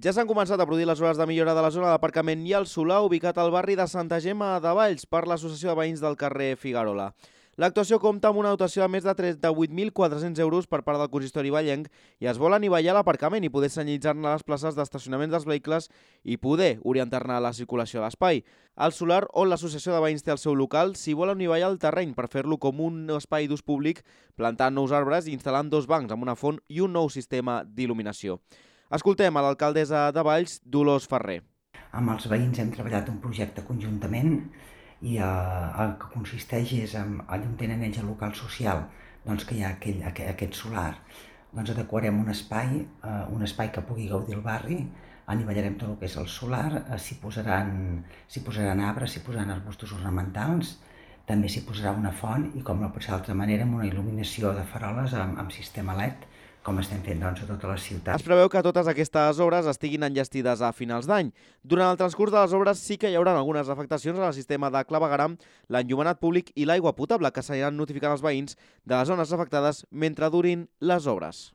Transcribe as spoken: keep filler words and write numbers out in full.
Ja s'han començat a produir les obres de millora de la zona d'aparcament i el solar ubicat al barri de Santa Gemma de Valls per l'Associació de Veïns del carrer Figuerola. L'actuació compta amb una dotació de més de trenta-vuit mil quatre-cents euros per part del consistori vallenc i es vol anivellar l'aparcament i poder senyalitzar-ne les places d'estacionament dels vehicles i poder orientar-ne la circulació a l'espai. El solar, on l'Associació de Veïns té el seu local, s'hi vol anivellar el terreny per fer-lo com un espai d'ús públic, plantant nous arbres i instal·lant dos bancs amb una font i un nou sistema d'il·luminació. Escoltem a l'alcaldessa de Valls, Dolors Ferrer. Amb els veïns hem treballat un projecte conjuntament i eh, el que consisteix és en allà on tenen ells el local social, doncs que hi ha aquell, aquest solar, doncs adequarem un espai, eh, un espai que pugui gaudir el barri, anivellarem tot el que és el solar, eh, s'hi posaran, s'hi posaran arbres, s'hi posaran arbustos ornamentals, també s'hi posarà una font i, com no pot ser d'altra manera, amb una il·luminació de faroles amb, amb sistema L E D, com estem fent doncs, a tota la ciutat. Es preveu que totes aquestes obres estiguin enllestides a finals d'any. Durant el transcurs de les obres sí que hi haurà algunes afectacions al sistema de clavegueram, l'enllumenat públic i l'aigua potable, que s'aniran notificant als veïns de les zones afectades mentre durin les obres.